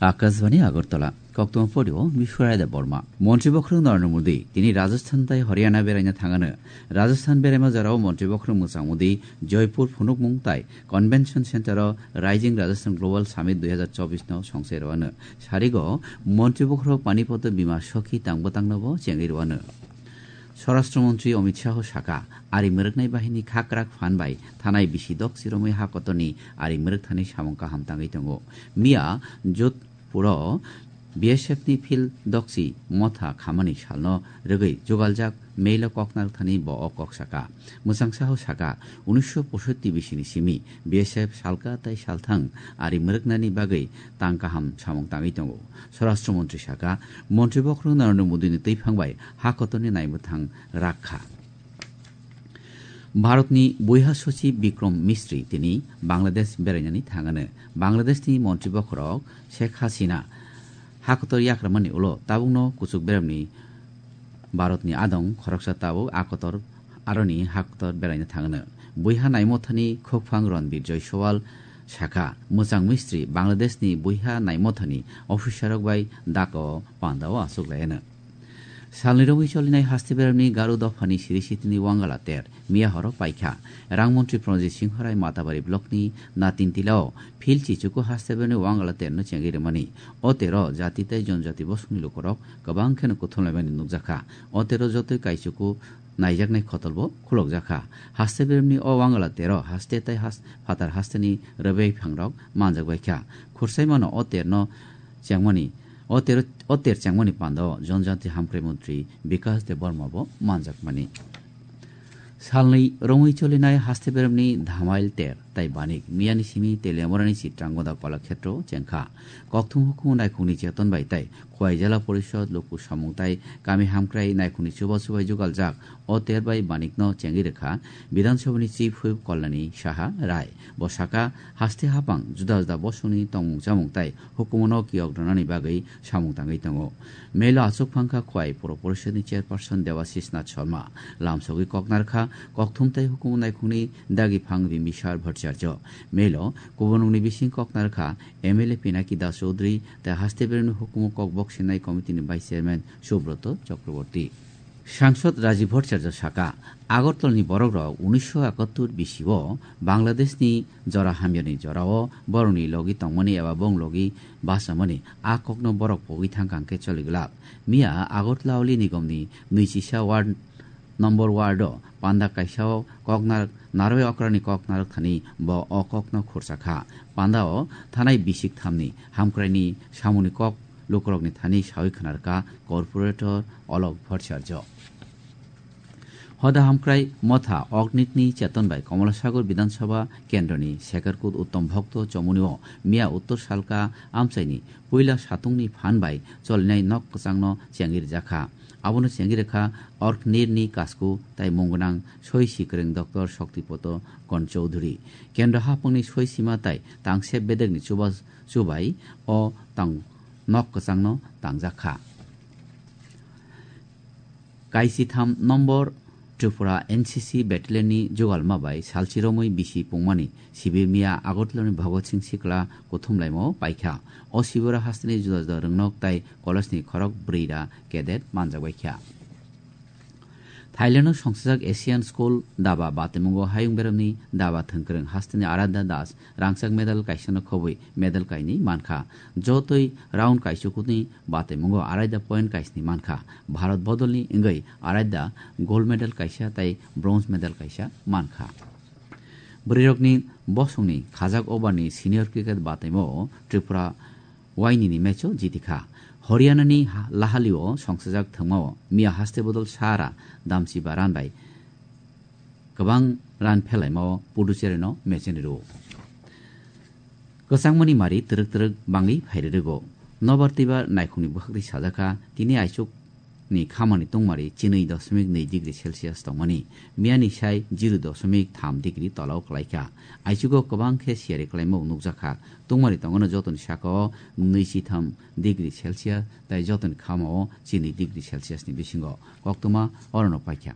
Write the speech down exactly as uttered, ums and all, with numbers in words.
Akashbani Agartala, koktwma porio Bishwaraida Borma. Montri bokhorok Narendra Modi tini Rajasthan tai Haryana beraina thangano. Rajasthan beraima jorao Montri bokhorok mwchang Modi Joypur phunukmung tai Convention Center o Rising Rajasthan Global Summit dui hazar chobbish no songse rwano. Sarigo Montri bokhorok Panipat Bima Sakhi tang bwtangno bo chengwi rwano. Swarashtra Montri Amit Shah saka, ari mwrwknai bahini khakrak phan bai thanai bisi dok chiromwi ha kotorni ari mwrwk thani samung kaham tangwi tongo. Miya Jodhpuro B S F ni field dokchi motha khamani salno rwgwi jugaljak mail o kok narwk thani bo o kok saka. Mwchang Shah saka, unisho posotti bisini simi B S F salka tai salthang ari mwrwknani bagwi tang kaham samung tangwi tongo. Swarashtra Montri saka, Montri bokhorok Narendra Modi ni twiphang bai ha kotorni naimwthang rak kha. Bharatni buiha sochib Bikram Misri tini Bangladesh berainani thangano. Bangladeshni Montri bokhorok Sheikh Hasina ha kotor yakramani ulo tabukno kuchuk beremni Bharatni adong khoroksa tabuk a kotor aroni ha kotor beraina thangno. Buiha naimothani khokphang Ranbir Jaiswal saka, mwchang Misri Bangladeshni buiha naimothani officerrok bai Dhaka o panda o achuk laiano. Salni romwi cholinai haste beremni Garu dophani siri sitini Wangala ter miya horo paikha. Rang montri Pranjit Singh Rai Matabari blockni Natin Tila o phil chichuku haste beremni Wangala terno chengwi rwmani. O tero jati tei jonjati bosongni lukurok kwbang kheno kuthumlaimani nukjakha. O tero jotoi kaichuku naijaknai khotolbo khulokjakha. Haste beremni o Wangala tero haste tei has-, phatar hasteni rwbei phangrok manjakbaikha. Khursaimano o terno chengmani, o tero, o ter chengmani pandao Jonjati Hamkrai Montri Bikash Debbarma bo manjakmani. Salni romwi cholinai haste beremni Dhamail ter tai Banik miyani simi Teliamurani Chitrangoda Kolakhetro chengkha. Kokthum hukumu naikhungni cheton bai tai Khowai Jela Porishod, Luku Samung tai Kami Hamkrai naikhungni chuba chubai jugaljak o ter bai Banikno chengwi rwkha Bidhan Sabhani Chief Whip Kalyani Saha Rai. Bo saka, haste hapang juda juda bosongni tongmung chamung tai hukumuno kiyok rwnani bagwi samung tangwi tongo. Melo achuk phangkha Khowai Puro Porishod ni Chairperson Debashish Nath Sharma, lamsogwi kok narkha kokthum tai hukumu naikhungni dagi phang Bimbisar Bhattacharya. Melo kubunrokni bising kok narkha M L A Pinaki Das Chaudhary tai haste beremni hukumu kok boksinai committee ni Vice Chairman Subroto Chakraborty. Sangsod Rajiv Bhattacharya saka, Agartalani borokrok unisho ekattor bisio Bangladeshni jora hamyani jorao borokni logi tongmani eba bong logi bachamani a kokno borok pogwi thangkha hwnkhe choli glak. Miya Agartala Oli Nigomni nwichisa ward number ward o panda kaisa o koknar narwi okrani koknarwk thani bo o kokno khursa kha. Panda o thanai bisik thamni hamkraini samungni kok lukurokni thani sawi khwnarkha Corporator Olok Bhattacharya. Hoda hamkrai motha Oknikni cheton bai Komolasagar Bidhan Sabha kendroni Sekharkut Uttom Bhokto Chomuni o miya Uttor Salka amchaini puila satungni phan bai cholinai nok kwchangno chengwi rwjakha. Abono chengwi rwkha Orknirni kasku tai mungwnang soi sikwrwng Doctor Shoktipoto Kon Chowdhury. Kendro haphangni soi sima tai tangse bedekni chuba chubai o tang nok kwchangno tangjakha. Kaisitham nombor Tripura N C C Battalionni jugalma bai salchi romwi bisi pungmani sibir miya Agartalani Bhagat Singh Sikla kuthumlaimao paikha. O sibiro hasteni juda juda rwngnok tai college ni khorok brwi da cadet manjakbaikha. Thailand o songsajak Asian School daba bataimungo hayung beremni daba thwngkwrwng hasteni Aradhya Das rangchak medal kaisano khobwi medal kainwi mankha. Jotoi round kaichukuni bataimungo Aradhya point kaisni mankha. Bharat bodolni wngwi Aradhya gold medal kaisa tai bronze medal kaisa mankha. Bwrwirokni bosongni khajak overni senior cricket bataimo Tripura wainini match o jitikha. Haryanani ha-, Lahalio songsajak thwngmao miya haste bodol sara damchiba run bai kwbang run phelaimao Puducherry no match ni rwo. Kwchangmani mari twrwk twrwk bangwi phairwi rwgo. Nobar twibar naikhungni bwkhakni sajakha tini aichuk ni khamani tungmari chinwi dosmik nwi degree Celsius tongmani, miyani sai zero dosmik tham degree tolao kwlaikha. Aichugo kwbang khe siyari kwlaimung nukjakha. Tungmari tongono jotoni sakao nwichitham degree Celsius tai jotoni khamao chinwi degree Celsius ni bisingo. Koktwma orono paikha.